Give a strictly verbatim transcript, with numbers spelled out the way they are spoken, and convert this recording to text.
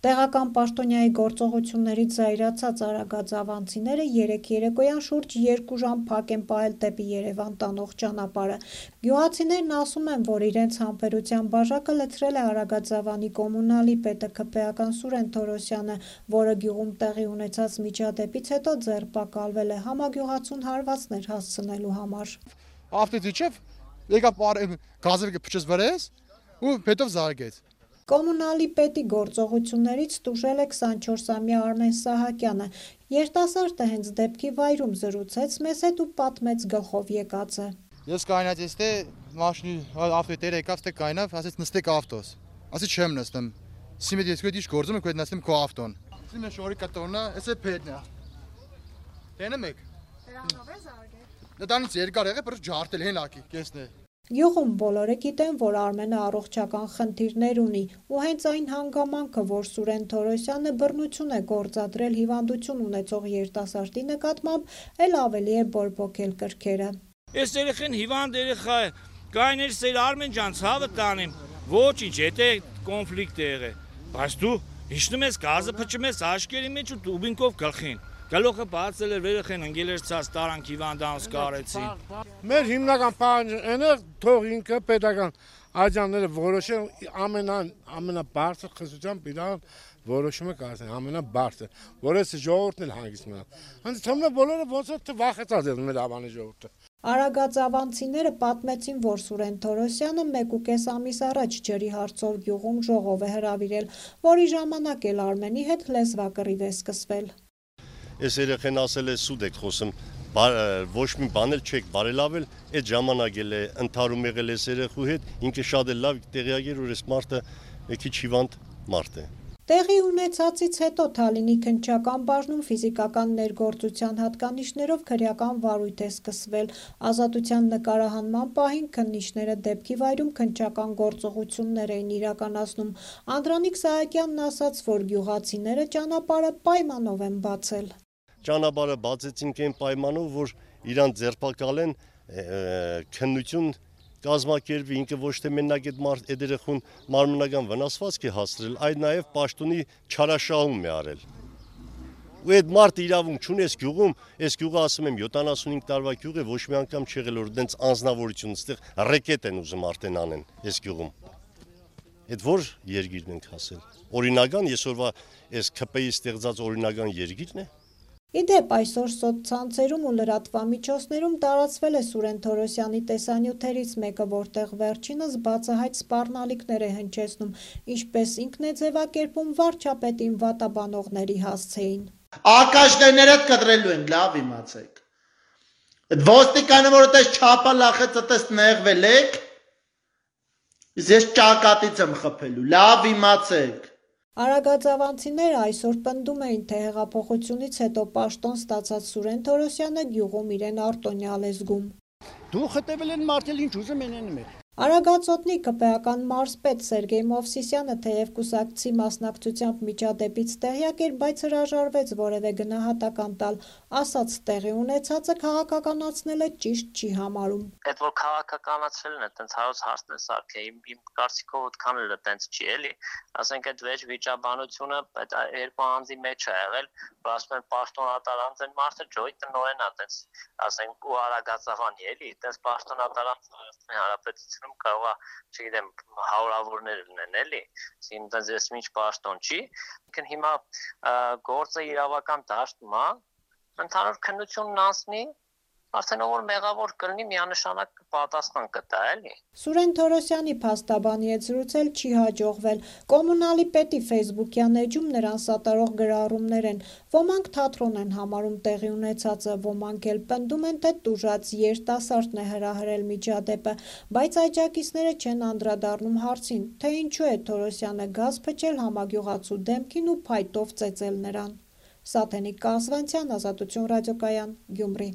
Տեղական պաշտոնյայի գործողություններից զայրացած արագածավանցիները երեկ երեկոյան շուրջ երկու ժամ փակ են պահել դեպի Երևան տանող ճանապարհը։ Գյուղացիներն ասում են, որ իրենց համբերության բաժակը լցրել է Արագածավանի կոմունալի պետը ԿՊ-ական Սուրեն Թորոսյանը, որը գյուղում տեղի ունեցած միջադեպից հետո ձերբակալվել է համագյուղացուն հարվածներ հասցնելու համար։ Ավտոդիչև եկավ գազը փչեց վրայից ու հետո զարգեց։ Կոմունալի պետի գործողություններից տուժել է քսանչորսամյա Արմեն Սահակյանը։ Երիտասարդը հենց դեպքի վայրում զրուցեց մեզ հետ ու պատմեց գլխով եկածը։ Ես կայնած թե մաշինի ավտոտերը եկավ թե կայնավ, ասեց նստեք ավտոս։ Ասի չեմ նստում։ Սիմեդ ես քո դիշ գործում եմ, քո նստեմ քո ավտոն։ Սիմե շորի կտորնա, էսե փետնա։ Տենեմ եք։ Դրանով է զարգել։ Դրանից երկար եղե, բայց ջարդել հենակի, կեսն է։ Գյուղում բոլորը գիտեն, որ Արմենը առողջական խնդիրներ ունի, ու հենց այն հանգամանքը, որ Սուրեն Թորոսյանը բռնություն է գործադրել հիվանդություն ունեցող երիտասարդի նկատմամբ, էլ ավելի է բորբոքել կրքերը։ Այս երեխան հիվանդ երեխա է, կայներ սեր Արմեն ջան, ցավը տանեմ, ոչինչ, եթե կոնֆլիկտ է եղել, բայց դու հիշնում ես գազը փչում ես աշկերի մեջ ու դուբինկով գլխին։ Գլուխը բացել էր, երեխան ընկել էր ցած տարանք հիվանդանոց կարեցին։ Մեր հիմնական պահանջը այն է, թող ինքը պետական աջանները որոշեն ամենան ամենաբարձր խստությամբ իրան որոշումը կայացնեն, ամենաբարձր, որ այս ժողովուրդն էլ հանգիստ մնա։ Հենց թվում է բոլորը ոնց որ վախեցած են մեր ավանի ժողովուրդը։ Արագածավանցիները պատմեցին, որ Սուրեն Թորոսյանը մեկ ու կես ամիս առաջ ջրի հարցով գյուղում ժողով է հրավիրել, որի ժամանակ էլ Արմենի հետ լեզվակռիվ է սկսվել։ Այս երեխեն ասել է սուտ եք խոսում, ոչ մի բան էլ չեք բարելավել, այդ ժամանակ էլ է ընդհարում եղել այս երեխու հետ, ինքը շատ էլ լավ տեղյակ էր, որ այս մարդը մի քիչ հիվանդ մարդ է։ Տեղի ունեցածից հետո Թալինի քննչական բաժնում ֆիզիկական ներգործության հատկանիշներով քրեական վարույթ է սկսվել։ Ազատության նկարահանման պահին քննիչները դեպքի վայրում քննչական գործողություններ էին իրականացնում։ Անդրանիկ Սահակյանն ասաց, որ գյուղացիները ճանապարհը պայմանով են բացել։ Ճանապարհը բացեցինք այն պայմանով, որ իրան ձերբակալեն քննություն կազմակերպի, ինքը ոչ թե մենակ այդ մարդ այդ երեխուն մարմնական վնասվածք է հասցրել, այլ նաև պաշտոնի չարաշահում է արել։ Ու այդ մարդը իրավունք չունի այս գյուղում, այս գյուղը ասում եմ յոթանասունհինգ տարվա գյուղ է, ոչ մի անգամ չեղել որ դենց անձնավորություն ստեղ ռեկետ են ուզում արդեն անեն այս գյուղում։ Այդ որ երկիրն ենք ասել։ Օրինական այսօրվա այս ԿՊ-ի ստեղծած օրինական երկիրն է։ Իդեպ այսօր սոցցանցերում ու լրատվամիջոցներում տարածվել է Սուրեն Թորոսյանի տեսանյութերից մեկը, որտեղ վերջինս բացահայտ սպառնալիքներ է հնչեցնում, ինչպես ինքն է ձևակերպում վարչապետին վատաբանողների հասցեին։ Ակաշներդ կտրելու են, լավ իմացեք։ Այդ ոստիկանը, որ այդպես չափա լախեց, այդպես նեղվել եք, ես ճակատից եմ խփելու, լավ իմացեք։ Արագածավանցիները այսօր պնդում էին, թե հեղափոխությունից հետո պաշտոն ստացած Սուրեն Թորոսյանը գյուղում իրեն արտոնյալ է զգում։ Դու խտեվել են մարդել ինչ ուզում են անում են։ Արագածոտնի ԿՊ-ական մարզպետ Սերգեյ Մովսիսյանը թեև կուսակցի մասնակցությամբ միջադեպից տեղյակ էր, բայց հրաժարվեց որևէ գնահատական տալ, ասաց տեղի ունեցածը քաղաքականացնելը ճիշտ չի համարում։ Այդ որ քաղաքականացրելն է, տենց հարց հարցն է սարքե, իմ կարծիքով այդքան էլ տենց չի էլի, ասենք այդ վեճ վիճաբանությունը այդ երկու անձի մեջ է եղել, որ ասում են պաշտոնատարանց են մարդը ջոյ տնօրեն է, տենց ասենք ու Արագածավանի էլի, տենց պաշտոնատարանց Հանրապետություն կարող է, չգիտեմ, հարյուրավորներ լինեն էլի, ինձ ես ինչ պաշտոն չի, հիմա գործը իրավական դաշտում է, ընդհանուր քննությունն անցնի, արդեն ով որ մեղավոր կլինի միանշանակ պատասխան կտա էլի։ Սուրեն Թորոսյանի փաստաբանի հետ զրուցել չի հաջողվել։ Կոմունալի պետի ֆեյսբուքյան էջում նրան սատարող գրառումներ են։ Ոմանք թատրոն են համարում տեղի ունեցածը, ոմանք էլ պնդում են, թե տուժած երիտասարդն է հրահրել միջադեպը, բայց աջակիցները չեն անդրադառնում հարցին, թե ինչու է Թորոսյանը գազ փչել համագյուղացու դեմքին ու փայտով ծեծել նրան։ Սաթենիկ Կազվանցյան, Ազատություն ռադիոկայան, Գյումրի։